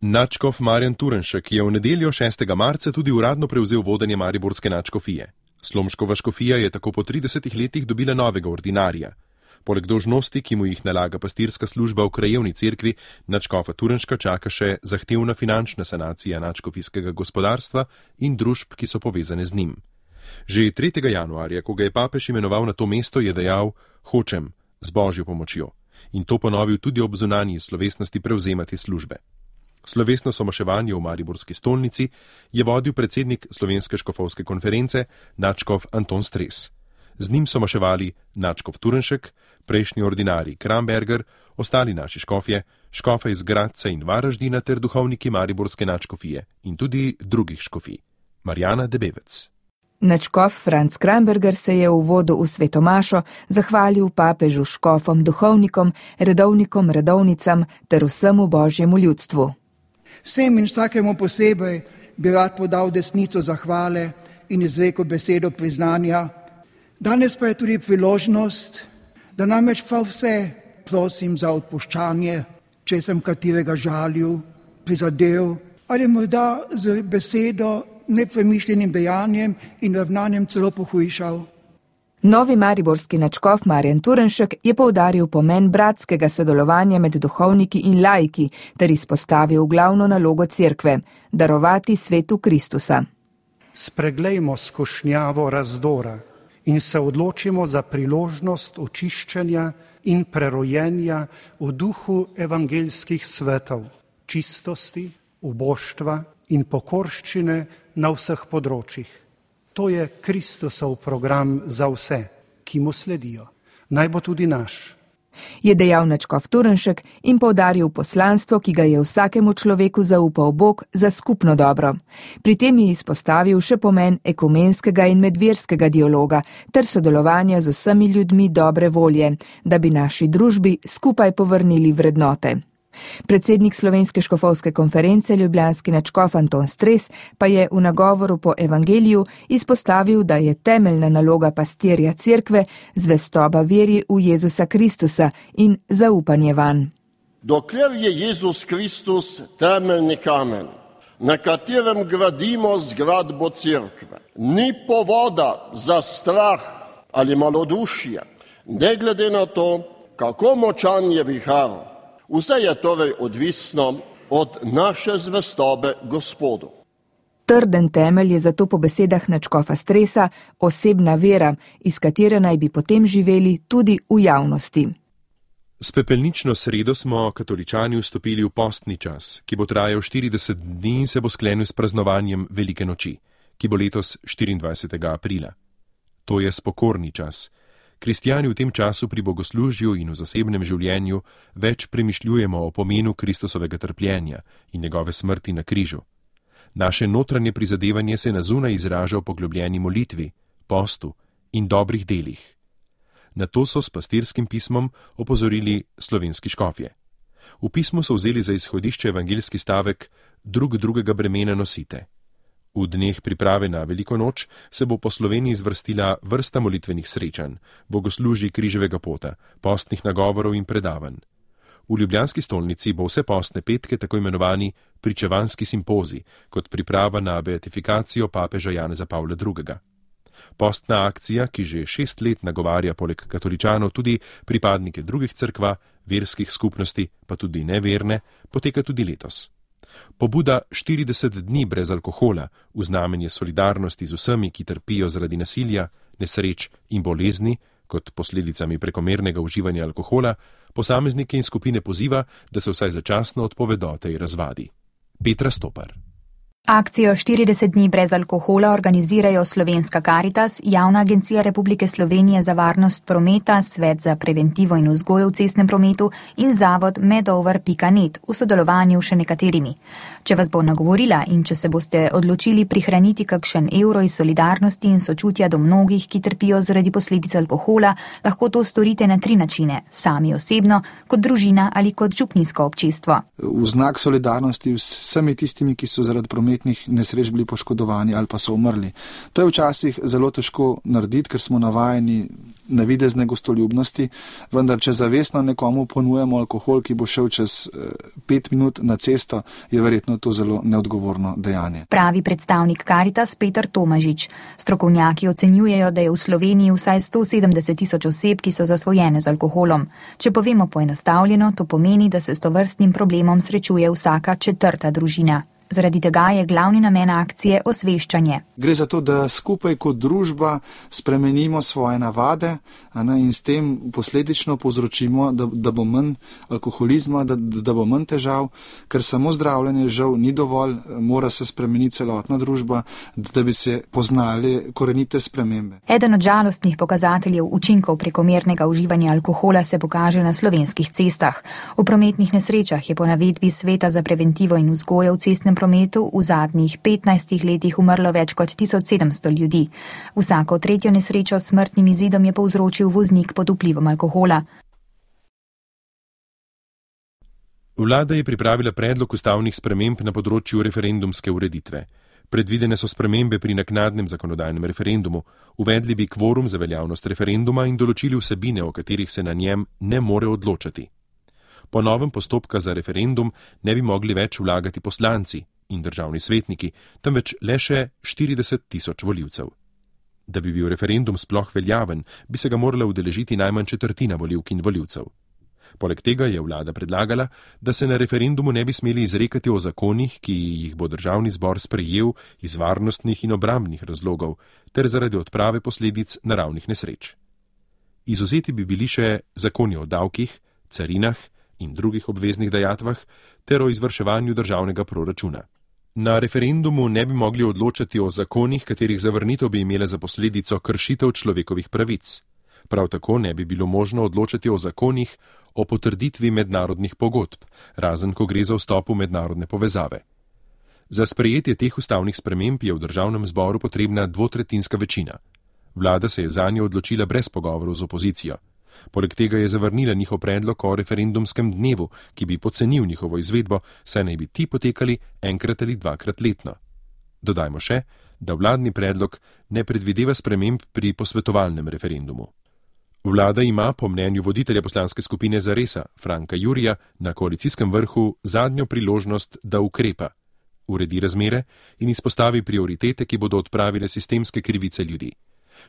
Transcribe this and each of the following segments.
Nadškof Marjan Turnšek je v nedeljo 6. marca tudi uradno prevzel vodenje mariborske nadškofije. Slomškova škofija je tako po 30 letih dobila novega ordinarja. Poleg dolžnosti, ki mu jih nalaga pastirska služba v krajevni cerkvi, nadškofa Turnška čaka še zahtevna finančna sanacija nadškofijskega gospodarstva in družb, ki so povezane z njim. Že 3. januarja, ko ga je papež imenoval na to mesto, je dejal: "Hočem, z božjo pomočjo." In to ponovil tudi ob zunanji slovesnosti prevzema te službe. Slovesno somaševanje v mariborski stolnici je vodil predsednik Slovenske škofovske konference, nadškof Anton Stres. Z njim so maševali nadškof Turnšek, prejšnji ordinarij Kramberger, ostali naši škofje, škofe iz Gradca in Varaždina ter duhovniki mariborske nadškofije in tudi drugih škofij. Marjana Debevec. Nadškof Franc Kramberger se je v uvodu v sveto mašo zahvalil papežu, škofom, duhovnikom, redovnikom, redovnicam ter vsemu božjemu ljudstvu. Vsem in vsakemu posebej bi rad podal desnico zahvale in izrekel besedo priznanja. Danes pa je tudi priložnost, da namreč prav vse prosim za odpuščanje, če sem katerega žalil, prizadel ali morda z besedo, nepremišljenim dejanjem in ravnanjem celo pohujšal. Novi mariborski nadškof Marjan Turnšek je poudaril pomen bratskega sodelovanja med duhovniki in laiki ter izpostavil glavno nalogo cerkve – darovati svetu Kristusa. Spreglejmo skušnjavo razdora in se odločimo za priložnost očiščenja in prerojenja v duhu evangeljskih svetov, čistosti, uboštva in pokorščine na vseh področjih. To je Kristusov program za vse, ki mu sledijo. Naj bo tudi naš. Je dejal nadškof Turnšek in poudaril poslanstvo, ki ga je vsakemu človeku zaupal Bog za skupno dobro. Pri tem je izpostavil še pomen ekumenskega in medverskega dialoga ter sodelovanja z vsemi ljudmi dobre volje, da bi naši družbi skupaj povrnili vrednote. Predsednik Slovenske škofovske konference, ljubljanski nadškof Anton Stres, pa je v nagovoru po evangeliju izpostavil, da je temeljna naloga pastirja cerkve zvestoba veri v Jezusa Kristusa in zaupanje vanj. Dokler je Jezus Kristus temeljni kamen, na katerem gradimo zgradbo cerkve, ni povoda za strah ali malodušje, ne glede na to, kako močan je vihar. Vse je torej odvisno od naše zvestobe Gospodu. Trden temelj je zato po besedah nadškofa Stresa osebna vera, iz katere naj bi potem živeli tudi v javnosti. S pepelnično sredo smo katoličani vstopili v postni čas, ki bo trajal 40 dni in se bo sklenil s praznovanjem Velike noči, ki bo letos 24. aprila. To je spokorni čas. Kristjani v tem času pri bogoslužju in v zasebnem življenju več premišljujemo o pomenu Kristusovega trpljenja in njegove smrti na križu. Naše notranje prizadevanje se na zunaj izraža v poglobljeni molitvi, postu in dobrih delih. Na to so s pastirskim pismom opozorili slovenski škofje. V pismu so vzeli za izhodišče evangeljski stavek: drug drugega bremena nosite. V dneh priprave na Veliko noč se bo po Sloveniji zvrstila vrsta molitvenih srečanj, bogoslužij križevega pota, postnih nagovorov in predavanj. V ljubljanski stolnici bo vse postne petke tako imenovani pričevanski simpozij, kot priprava na beatifikacijo papeža Janeza Pavla II. Postna akcija, ki že 6 let nagovarja poleg katoličanov tudi pripadnike drugih cerkva, verskih skupnosti, pa tudi neverne, poteka tudi letos. Pobuda 40 dni brez alkohola v znamenje solidarnosti z vsemi, ki trpijo zaradi nasilja, nesreč in bolezni, kot posledicami prekomernega uživanja alkohola, posameznike in skupine poziva, da se vsaj začasno odpovedo tej razvadi. Petra Stopar. Akcijo 40 dni brez alkohola organizirajo Slovenska Karitas, Javna agencija Republike Slovenije za varnost prometa, Svet za preventivo in vzgojo v cestnem prometu in zavod medover.net v sodelovanju še nekaterimi. Če vas bo nagovorila in če se boste odločili prihraniti kakšen evro iz solidarnosti in sočutja do mnogih, ki trpijo zaradi posledic alkohola, lahko to storite na 3 načine: sami osebno, kot družina ali kot župnijsko občestvo. V znak solidarnosti vsemi tistimi, ki so zaradi prometa prometnih nesreč bili poškodovani ali pa so umrli. To je včasih zelo težko narediti, ker smo navajeni navidezne gostoljubnosti, vendar če zavestno nekomu ponujemo alkohol, ki bo šel čez 5 minut na cesto, je verjetno to zelo neodgovorno dejanje. Pravi predstavnik Karitas Peter Tomažič. Strokovnjaki ocenjujejo, da je v Sloveniji vsaj 170.000 oseb, ki so zasvojene z alkoholom. Če povemo poenostavljeno, to pomeni, da se s tovrstnim problemom srečuje vsaka 4. družina. Zaradi tega je glavni namen akcije osveščanje. Gre za to, da skupaj kot družba spremenimo svoje navade in s tem posledično povzročimo, da bo manj alkoholizma, da bo manj težav, ker samo zdravljenje žal ni dovolj, mora se spremeniti celotna družba, da bi se poznali korenite spremembe. Eden od žalostnih pokazateljev učinkov prekomernega uživanja alkohola se pokaže na slovenskih cestah. V prometnih nesrečah je po navedbi Sveta za preventivo in vzgojo v cestnem prometu v zadnjih 15 letih umrlo več kot 1700 ljudi. Vsako 3. nesrečo s smrtnim izidom je povzročil voznik pod vplivom alkohola. Vlada je pripravila predlog ustavnih sprememb na področju referendumske ureditve. Predvidene so spremembe pri naknadnem zakonodajnem referendumu, uvedli bi kvorum za veljavnost referenduma in določili vsebine, o katerih se na njem ne more odločati. Po novem postopka za referendum ne bi mogli več vlagati poslanci in državni svetniki, temveč le še 40.000 volivcev. Da bi bil referendum sploh veljaven, bi se ga morala udeležiti najmanj 1/4 volivk in volivcev. Poleg tega je vlada predlagala, da se na referendumu ne bi smeli izrekati o zakonih, ki jih bo državni zbor sprejel iz varnostnih in obrambnih razlogov ter zaradi odprave posledic naravnih nesreč. Izvzeti bi bili še zakoni o davkih, carinah in drugih obveznih dajatvah ter o izvrševanju državnega proračuna. Na referendumu ne bi mogli odločati o zakonih, katerih zavrnitev bi imela za posledico kršitev človekovih pravic. Prav tako ne bi bilo možno odločati o zakonih o potrditvi mednarodnih pogodb, razen ko gre za vstop v mednarodne povezave. Za sprejetje teh ustavnih sprememb je v državnem zboru potrebna 2/3 večina. Vlada se je zanjo odločila brez pogovorov z opozicijo. Poleg tega je zavrnila njihov predlog o referendumskem dnevu, ki bi pocenil njihovo izvedbo, saj naj bi ti potekali 1 ali 2 letno. Dodajmo še, da vladni predlog ne predvideva sprememb pri posvetovalnem referendumu. Vlada ima, po mnenju voditelja poslanske skupine Zaresa, Franka Jurija, na koalicijskem vrhu zadnjo priložnost, da ukrepa, uredi razmere in izpostavi prioritete, ki bodo odpravile sistemske krivice ljudi.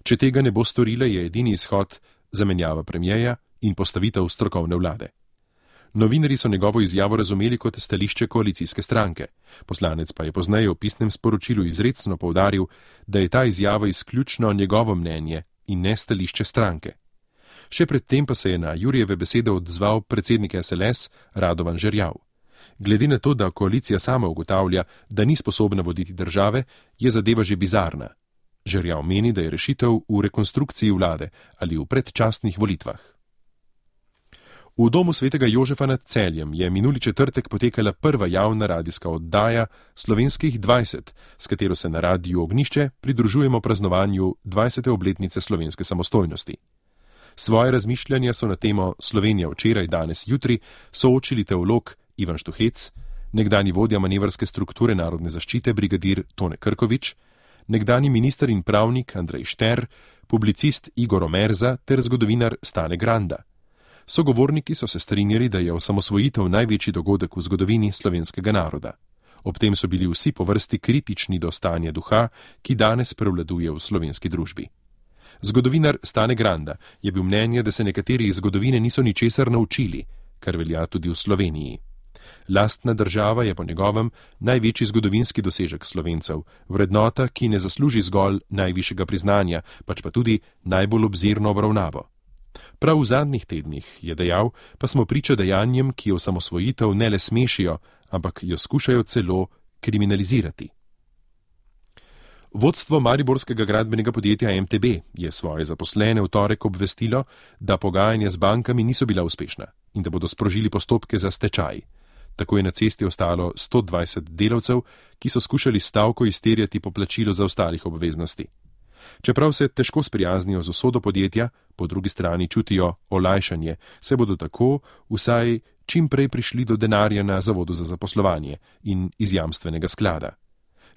Če tega ne bo storila, je edini izhod zamenjava premierja in postavitev strokovne vlade. Novinarji so njegovo izjavo razumeli kot stališče koalicijske stranke. Poslanec pa je pozneje v pisnem sporočilu izrecno poudaril, da je ta izjava izključno njegovo mnenje in ne stališče stranke. Še predtem pa se je na Jurijeve besede odzval predsednik SLS Radovan Žerjav. Glede na to, da koalicija sama ugotavlja, da ni sposobna voditi države, je zadeva že bizarna. Žerjav meni, da je rešitev v rekonstrukciji vlade ali v predčasnih volitvah. V domu svetega Jožefa nad Celjem je minuli četrtek potekala prva javna radijska oddaja Slovenskih 20, s katero se na Radiu Ognišče pridružujemo praznovanju 20. obletnice slovenske samostojnosti. Svoje razmišljanja so na temo Slovenija včeraj, danes, jutri soočili teolog Ivan Štuhec, nekdanji vodja manevrske strukture narodne zaščite brigadir Tone Krkovič, nekdanji minister in pravnik Andrej Šter, publicist Igor Omerza ter zgodovinar Stane Granda. Sogovorniki so se strinjali, da je osamosvojitev največji dogodek v zgodovini slovenskega naroda. Ob tem so bili vsi po vrsti kritični do stanja duha, ki danes prevladuje v slovenski družbi. Zgodovinar Stane Granda je bil mnenja, da se nekateri iz zgodovine niso ničesar naučili, kar velja tudi v Sloveniji. Lastna država je po njegovem največji zgodovinski dosežek Slovencev, vrednota, ki ne zasluži zgolj najvišjega priznanja, pač pa tudi najbolj obzirno obravnavo. Prav v zadnjih tednih, je dejal, pa smo priča dejanjem, ki osamosvojitev ne le smešijo, ampak jo skušajo celo kriminalizirati. Vodstvo mariborskega gradbenega podjetja MTB je svoje zaposlene v torek obvestilo, da pogajanja z bankami niso bila uspešna in da bodo sprožili postopke za stečaj. Tako je na cesti ostalo 120 delavcev, ki so skušali stavko izterjati poplačilo za ostalih obveznosti. Čeprav se težko sprijaznijo z usodo podjetja, po drugi strani čutijo olajšanje, se bodo tako vsaj čim prej prišli do denarja na Zavodu za zaposlovanje in iz jamstvenega sklada.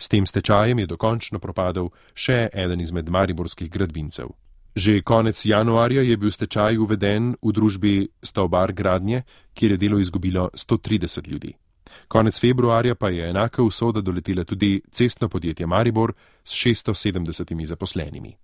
S tem stečajem je dokončno propadel še eden izmed mariborskih gradbincev. Že konec januarja je bil stečaj uveden v družbi Stavbar Gradnje, kjer je delo izgubilo 130 ljudi. Konec februarja pa je enaka usoda doletela tudi cestno podjetje Maribor s 670 zaposlenimi.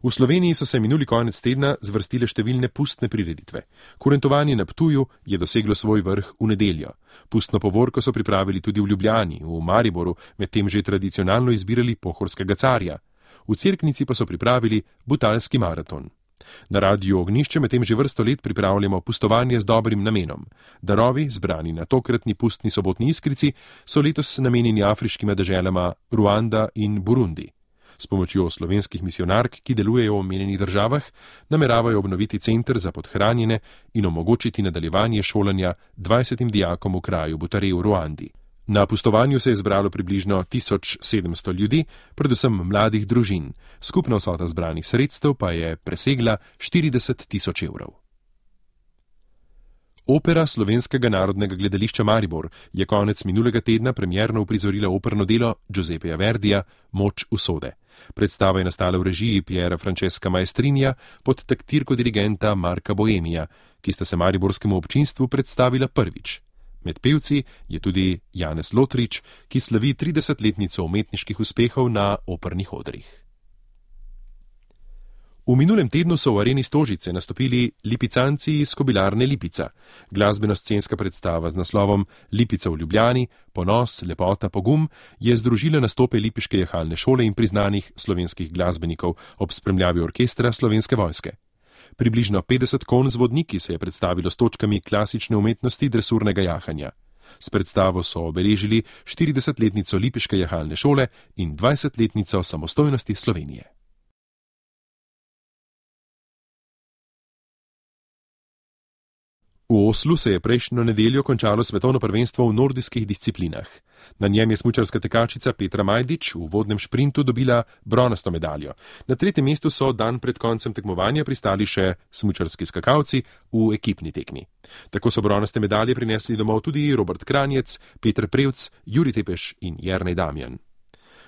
V Sloveniji so se minuli konec tedna zvrstile številne pustne prireditve. Kurentovanje na Ptuju je doseglo svoj vrh v nedeljo. Pustno povorko so pripravili tudi v Ljubljani, v Mariboru, medtem že tradicionalno izbirali pohorskega carja. V Cerknici pa so pripravili butalski maraton. Na Radiu Ognjišče medtem že vrsto let pripravljamo pustovanje z dobrim namenom. Darovi, zbrani na tokratni pustni sobotni iskrici, so letos namenjeni afriškima deželama Ruanda in Burundi. S pomočjo slovenskih misionark, ki delujejo v omenjenih državah, nameravajo obnoviti center za podhranjene in omogočiti nadaljevanje šolanja 20 dijakom v kraju Butare v Ruandi. Na pustovanju se je zbralo približno 1700 ljudi, predvsem mladih družin. Skupna vsota zbranih sredstev pa je presegla 40 000 evrov. Opera Slovenskega narodnega gledališča Maribor je konec minulega tedna premierno uprizorila operno delo Giuseppeja Verdija Moč usode. Predstava je nastala v režiji Piera Francesca Maestrinja pod taktirko dirigenta Marka Boemija, ki sta se mariborskemu občinstvu predstavila prvič. Med pevci je tudi Janez Lotrič, ki slavi 30-letnico umetniških uspehov na opernih odrih. V minulem tednu so v areni Stožice nastopili lipicanci iz Kobilarne Lipica. Glasbeno-scenska predstava z naslovom Lipica v Ljubljani, ponos, lepota, pogum je združila nastope lipiške jahalne šole in priznanih slovenskih glasbenikov ob spremljavi orkestra Slovenske vojske. Približno 50 konj z vodniki se je predstavilo s točkami klasične umetnosti dresurnega jahanja. S predstavo so obeležili 40-letnico lipiške jahalne šole in 20-letnico samostojnosti Slovenije. V Oslu se je prejšnjo nedeljo končalo svetovno prvenstvo v nordijskih disciplinah. Na njem je smučarska tekačica Petra Majdič v uvodnem šprintu dobila bronasto medaljo. Na tretjem mestu so dan pred koncem tekmovanja pristali še smučarski skakalci v ekipni tekmi. Tako so bronaste medalje prinesli domov tudi Robert Kranjec, Peter Prevc, Jurij Tepeš in Jernej Damjan.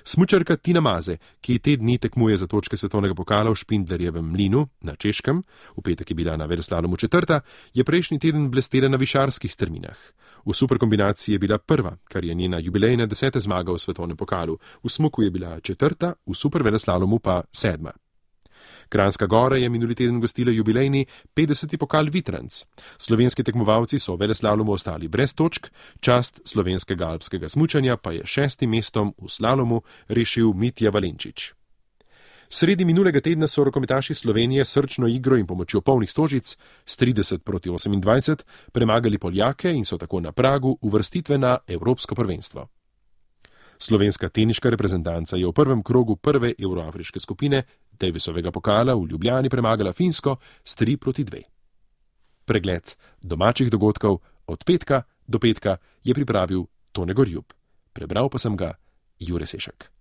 Smučarka Tina Maze, ki te dni tekmuje za točke svetovnega pokala v Špindlerjevem mlinu na Češkem, v petek je bila na veleslalomu četrta, je prejšnji teden blestela na višarskih strminah. V superkombinaciji je bila prva, kar je njena jubilejna 10. zmaga v svetovnem pokalu, v smuku je bila četrta, v superveleslalomu pa 7. Kranjska Gora je minuli teden gostila jubilejni 50. pokal Vitranc. Slovenski tekmovalci so v veleslalomu ostali brez točk, čast slovenskega alpskega smučanja pa je 6. mestom v slalomu rešil Mitja Valenčič. Sredi minulega tedna so rokometaši Slovenije srčno igro in pomočjo polnih Stožic s 30-28 premagali Poljake in so tako na pragu uvrstitve na Evropsko prvenstvo. Slovenska teniška reprezentanca je v prvem krogu prve evroafriške skupine Davisovega pokala v Ljubljani premagala Finsko s 3-2. Pregled domačih dogodkov od petka do petka je pripravil Tone Gorjub. Prebral pa sem ga Jure Sešek.